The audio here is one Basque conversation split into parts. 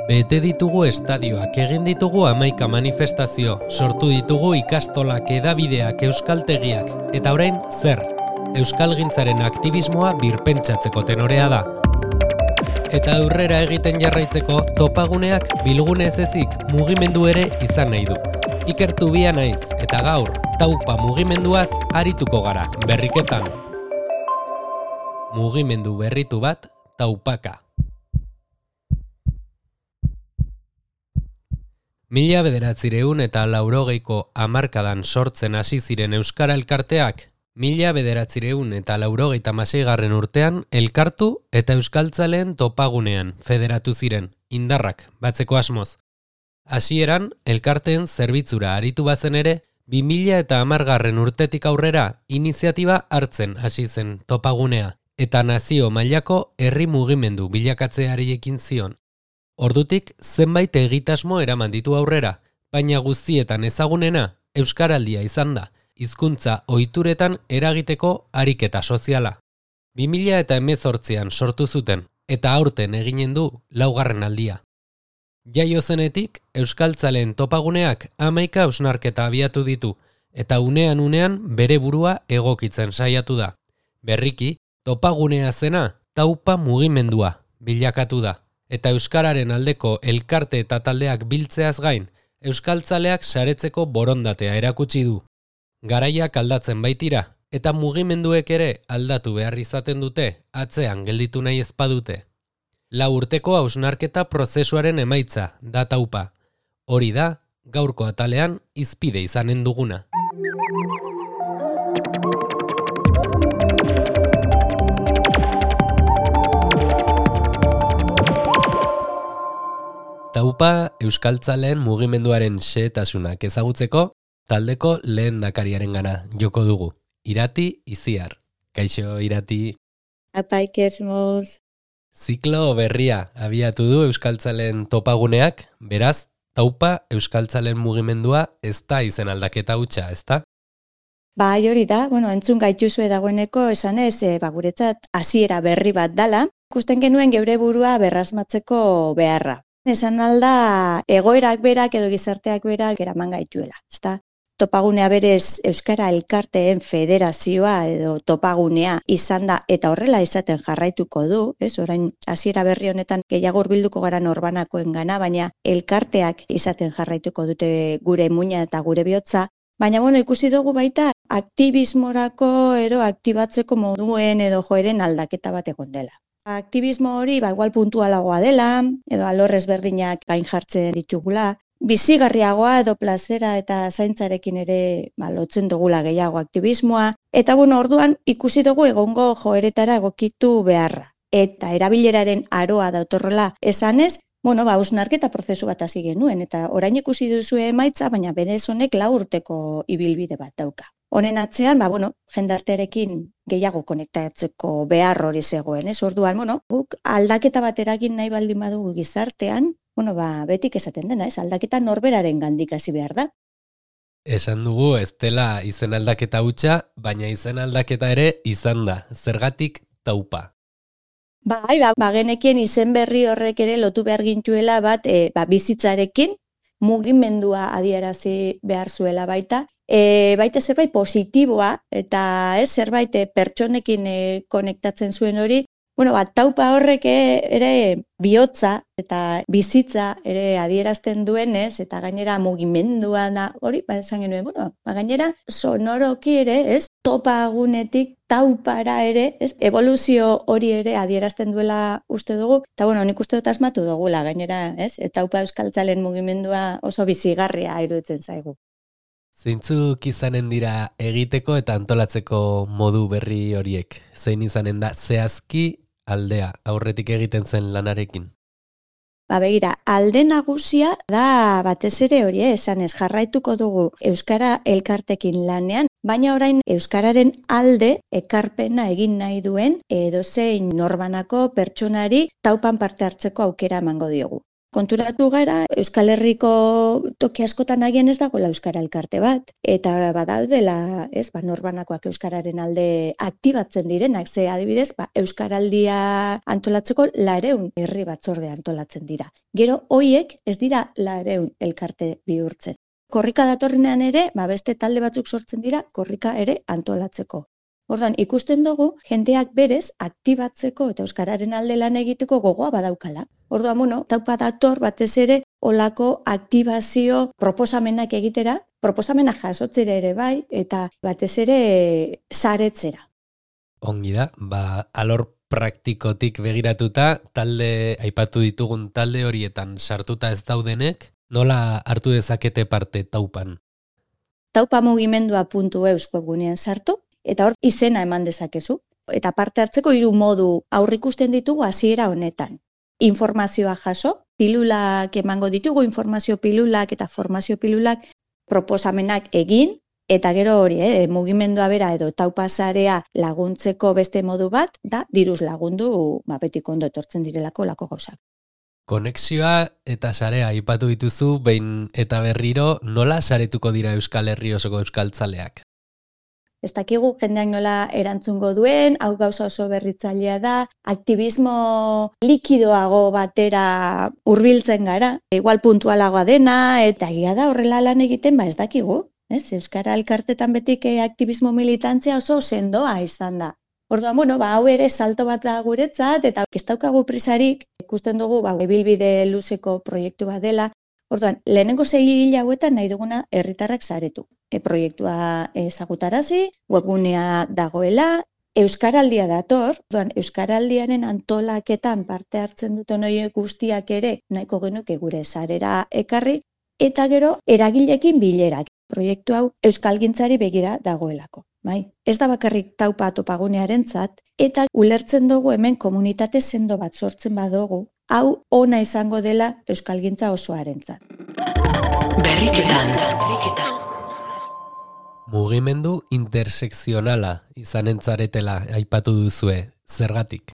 Bete ditugu estadioak, egin ditugu 11 manifestazio, sortu ditugu ikastolak, hedabideak, euskaltegiak, eta orain zer? Euskalgintzaren aktivismoa birpentsatzeko tenorea da. Eta aurrera egiten jarraitzeko topaguneak bilgune ez ezik mugimendu ere izan nahi du. Ikertu bia naiz, eta gaur, taupa mugimenduaz arituko gara, berriketan. Mugimendu berritu bat, taupaka. 1980ko hamarkadan sortzen hasi ziren euskara elkarteak, 1986 urtean elkartu eta euskaltzaleen topagunean federatu ziren, indarrak batzeko asmoz. Hasieran elkarteen zerbitzura aritu bazen ere, 2010 urtetik aurrera iniziatiba hartzen hasi zen topagunea, eta nazio mailako herri mugimendu bilakatzeari ekin zion. Ordutik zenbait egitasmo eraman ditu aurrera, baina guztietan ezagunena euskaraldia izan da, hizkuntza ohituretan eragiteko ariketa soziala. 2018an sortu zuten, eta aurten eginen du 4. aldia. Jaio zenetik, euskaltzaleen topaguneak 11 hausnarketa abiatu ditu, eta unean bere burua egokitzen saiatu da. Berriki, topagunea zena taupa mugimendua bilakatu da. Eta euskararen aldeko elkarte eta taldeak biltzeaz gain, euskaltzaleak saretzeko borondatea erakutsi du. Garaiak aldatzen baitira, eta mugimenduek ere aldatu behar izaten dute, atzean gelditu nahi ezpadute. 4 urteko hausnarketa prozesuaren emaitza da taupa. Hori da, gaurko atalean hizpide izanen duguna. Taupa euskaltzaleen mugimenduaren xehetasunak ezagutzeko, taldeko lehendakariarengana joko dugu. Irati Iziar. Kaixo, Irati. Apaikesmoz. Ziklo berria abiatu du euskaltzaleen topaguneak, beraz, taupa euskaltzaleen mugimendua ez da izen aldaketa hutsa, ezta? Bai, hori da, entzun gaituzue dagoeneko esanez, guretzat hasiera berri bat dala, ikusten genuen geure burua berrasmatzeko beharra. Esan alda, egoerak berak edo gizarteak berak eraman gaituela, ezta? Topagunea berez Euskara Elkarteen Federazioa edo topagunea izan da eta horrela izaten jarraituko du, orain hasiera berri honetan gehiago hurbilduko gara norbanakoengana, baina elkarteak izaten jarraituko dute gure muina eta gure bihotza, baina ikusi dugu baita aktivismorako ero aktibatzeko moduen edo joeren aldaketa bat egon dela. Aktivismo hori igual puntualagoa dela, edo alor ezberdinak gain jartzen ditugula, bizigarriagoa edo plazera eta zaintzarekin ere lotzen dugula gehiago aktivismoa, eta orduan ikusi dugu egongo joeretara egokitu beharra. Eta erabileraren aroa datorrela esanez, hausnarketa prozesu bat hasi genuen, eta orain ikusi duzue emaitza, baina berez honek 4 urteko ibilbide bat dauka. Honen atzean, jendartearekin gehiago konektatzeko behar hori zegoen, Orduan, guk aldaketa bat eragin nahi baldin badugu gizartean, betik esaten dena, aldaketa norberaren gandik hasi behar da. Esan dugu ez dela izen aldaketa hutsa, baina izen aldaketa ere izan da, zergatik taupa. Bai, genekien izen berri horrek ere lotu behar gintuela bat bizitzarekin, mugimendua adierazi behar zuela baita, baita zerbait positiboa eta zerbait pertsonekin konektatzen zuen hori, taupa horrek ere bihotza eta bizitza ere adierazten duenez, eta gainera mugimendua da, hori, esan genuen, gainera sonoroki ere, topagunetik taupara ere, evoluzio hori ere adierazten duela uste dugu, eta nik uste dut asmatu dugula, gainera, taupa euskaltzalen mugimendua oso bizigarria iruditzen zaigu. Zeintzuk izanen dira egiteko eta antolatzeko modu berri horiek? Zein izanen da zehazki aldea aurretik egiten zen lanarekin? Begira, alde nagusia da batez ere hori esanez jarraituko dugu Euskara elkartekin lanean, baina orain Euskararen alde ekarpena egin nahi duen edozein norbanako pertsonari taupan parte hartzeko aukera emango diogu. Konturatu gara, Euskal Herriko toki askotan agian ez dagoela Euskara elkarte bat, eta badaudela, norbanakoak Euskararen alde aktibatzen direnak, ze adibidez, Euskaraldia antolatzeko 200 herri batzorde antolatzen dira. Gero, hoiek ez dira 200 elkarte bihurtzen. Korrika datorrenean ere, beste talde batzuk sortzen dira, korrika ere antolatzeko. Orduan, ikusten dugu, jendeak berez aktibatzeko eta Euskararen alde lan egiteko gogoa badaukala. Orduan, taupa dator batez ere olako aktibazio proposamenak egitera, proposamenak jasotzera ere bai, eta batez ere saretzera. Ongi da, alor praktikotik begiratuta, aipatu ditugun talde horietan sartuta ez daudenek, nola hartu dezakete parte taupan? Taupamugimendua.eus webgunean sartu, eta hor izena eman dezakezu. Eta parte hartzeko 3 modu aurrikusten ditugu hasiera honetan. Informazioa jaso, pilulak emango ditugu, informazio pilulak eta formazio pilulak proposamenak egin, eta gero hori, mugimendua bera edo taupasarea laguntzeko beste modu bat, da diruz lagundu betiko ondo etortzen direlako lako gauzak. Konexioa eta sarea aipatu dituzu, behin eta berriro, nola saretuko dira Euskal Herri osoko euskaltzaleak? Ez dakigu jendeak nola erantzungo duen, hau gauza oso berritzailea da, aktivismo likidoago batera hurbiltzen gara, igual puntualagoa dena, eta egia da horrela lan egiten, ez dakigu. Euskara elkartetan betik aktivismo militantzia oso sendoa izan da. Orduan, hau ere salto bat da guretzat, eta ez daukagu prisarik, ikusten dugu, ibilbide luzeko proiektu bat dela. Orduan, lehenengo 6 hil hauetan nahi duguna herritarrak saretu. Proiektua ezagutarazi, webgunea dagoela, Euskaraldia dator, Euskaraldiaren antolaketan parte hartzen duten horiek guztiak ere nahiko genuke gure sarera ekarri, eta gero eragileekin bilerak. Proiektu hau euskalgintzari begira dagoelako. Ez da bakarrik taupa topagunearentzat, eta ulertzen dugu hemen komunitate sendo bat sortzen badugu, hau ona izango dela euskalgintza osoarentzat. Berriketan. Mugimendu intersekzionala izanen zaretela aipatu duzue, zergatik?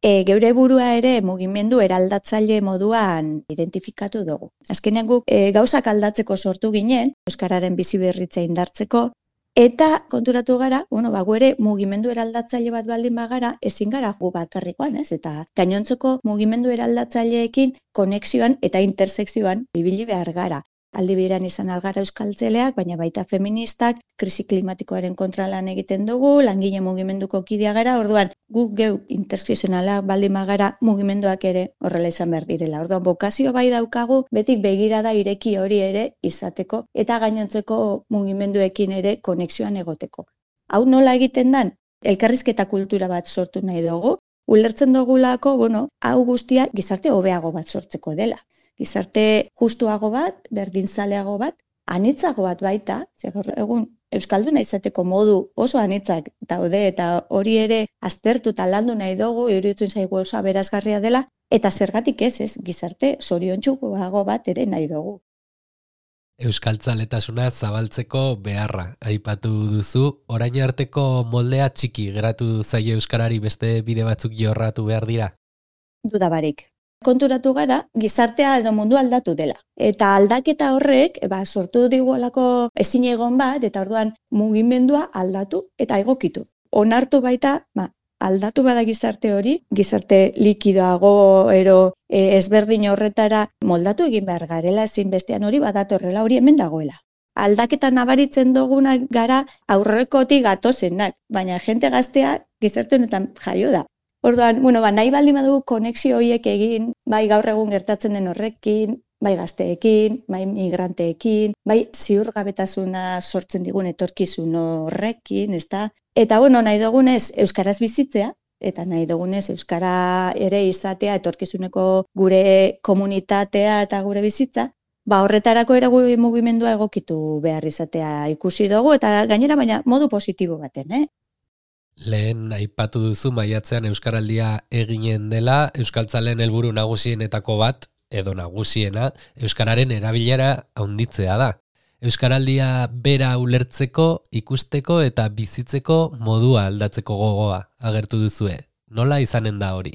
Geure burua ere mugimendu eraldatzaile moduan identifikatu dugu. Azkenean guk gauzak aldatzeko sortu ginen, Euskararen bizi berritza indartzeko, eta konturatu gara, gu ere mugimendu eraldatzaile bat baldin bagara, ezin gara gu bakarrikoan, eta gainontzeko mugimendu eraldatzaileekin konexioan eta intersekzioan ibili behar gara. Aldi berean izan algara euskaltzeleak, baina baita feministak, krisi klimatikoaren kontra lan egiten dugu, langile mugimenduko kidea gara, orduan guk geu intersekzionalak baldin bagara mugimenduak ere horrela izan behar direla. Orduan bokazio bai daukagu, betik begirada ireki hori ere izateko, eta gainontzeko mugimenduekin ere konexioan egoteko. Hau nola egiten dan? Elkarrizketa kultura bat sortu nahi dugu, ulertzen dugulako, hau guztia gizarte hobeago bat sortzeko dela. Gizarte justuago bat, berdinzaleago bat, anitzago bat baita, egun euskalduna izateko modu oso anitzak daude eta hori ere aztertu eta landu nahi dugu, iruditzen zaigu oso aberasgarria dela, eta zergatik ez, gizarte zoriontsuago bat ere nahi dugu. Euskaltzaletasuna zabaltzeko beharra aipatu duzu, orain arteko moldea txiki geratu zaio euskarari beste bide batzuk jorratu behar dira? Dudabarik. Konturatu gara, gizartea edo mundu aldatu dela. Eta aldaketa horrek, sortu digualako ezin egon bat, eta orduan mugimendua aldatu eta egokitu. Onartu baita, aldatu bada gizarte hori, gizarte likidoago ero ezberdin horretara moldatu egin behar garela, ezin bestean hori badatorrela hori hemen dagoela. Aldaketa nabaritzen dugunak gara aurrekotik gatozenak, baina jente gaztea gizarte honetan jaio da. Orduan, nahi baldin badugu konexio horiek egin, bai gaur egun gertatzen den horrekin, bai gazteekin, bai migranteekin, bai ziurgabetasuna sortzen digun etorkizun horrekin, ezta? Eta nahi dugunez euskaraz bizitzea, eta nahi dugunez euskara ere izatea etorkizuneko gure komunitatea eta gure bizitza, horretarako ere gure mugimendua egokitu behar izatea ikusi dugu, eta gainera baina modu positibo baten, Lehen aipatu duzu maiatzean Euskaraldia eginen dela, euskaltzaleen helburu nagusienetako bat, edo nagusiena, euskararen erabilera handitzea da. Euskaraldia bera ulertzeko, ikusteko eta bizitzeko modua aldatzeko gogoa agertu duzue. Nola izanen da hori?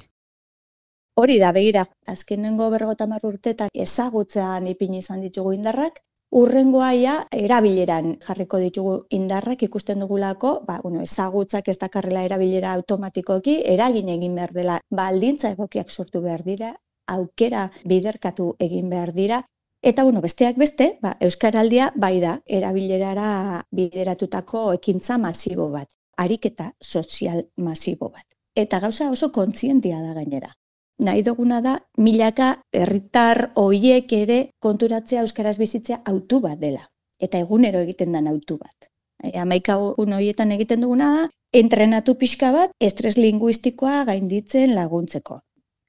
Hori da, begira, azkenengo 50 urteetan ezagutzean ipini izan ditugu indarrak, urrengoa erabileran jarriko ditugu indarrak ikusten dugulako, ezagutzak ez dakarrela erabilera automatikoki, eragin egin behar dela, baldintza egokiak sortu behar dira, aukera biderkatu egin behar dira, eta besteak beste, Euskaraldia bai da erabilerara bideratutako ekintza masibo bat, ariketa sozial masibo bat. Eta gauza oso kontzientia da gainera. Nahi duguna da, milaka herritar horiek ere konturatzea euskaraz bizitzea autu bat dela. Eta egunero egiten den autu bat. 11 horietan egiten duguna da, entrenatu pixka bat, estres linguistikoa gainditzen laguntzeko.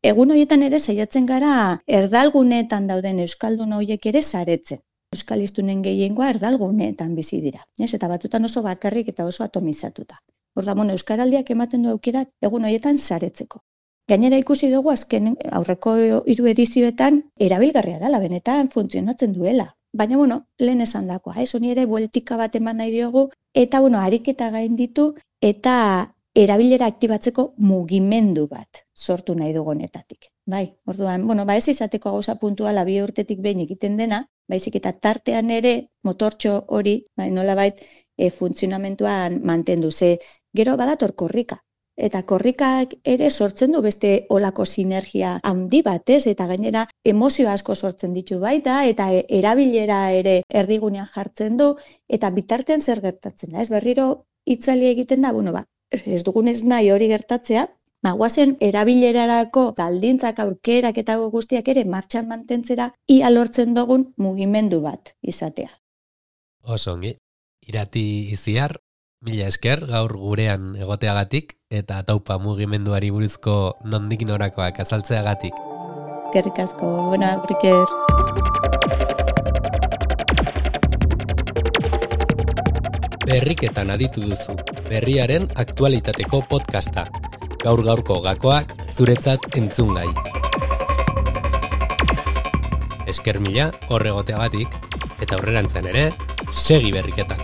Egun horietan ere saiatzen gara erdalguneetan dauden euskaldun horiek ere saretzen. Euskalistunen gehiengoa erdalguneetan bizi dira. Eta batutan oso bakarrik eta oso atomizatuta. Orduan, Euskaraldiak ematen du aukera egun horietan saretzeko. Gainera ikusi dugu azken aurreko 3 edizioetan erabilgarria dela, benetan funtzionatzen duela. Baina, lehen esan dakoa, honi ere bueltika bat eman nahi diogu, eta ariketa gainditu eta erabilera aktibatzeko mugimendu bat sortu nahi dugu honetatik. Orduan, ez izateko gauza puntuala 2 urtetik behin egiten dena, baizik eta tartean ere motortxo hori, nolabait funtzionamentuan mantendu. Gero badator korrika. Eta korrikak ere sortzen du beste olako sinergia handi bat, eta gainera emozio asko sortzen ditu baita, eta erabilera ere erdigunean jartzen du, eta bitartean zer gertatzen da. Berriro itzali egiten da, ez dugunez nahi hori gertatzea, guazen erabilerarako baldintzak aurkerak eta guztiak ere martxan mantentzera, ia lortzen dugun mugimendu bat izatea. Oso ongi, Irati Iziar, mila esker gaur gurean egoteagatik eta taupa mugimenduari buruzko nondik norakoak azaltzeagatik. Eskerrik asko, aurriker. Berriketan aditu duzu, berriaren aktualitateko podcasta. Gaur-gaurko gakoak zuretzat entzungai. Esker mila horregoteagatik eta aurrerantzean ere, segi berriketan.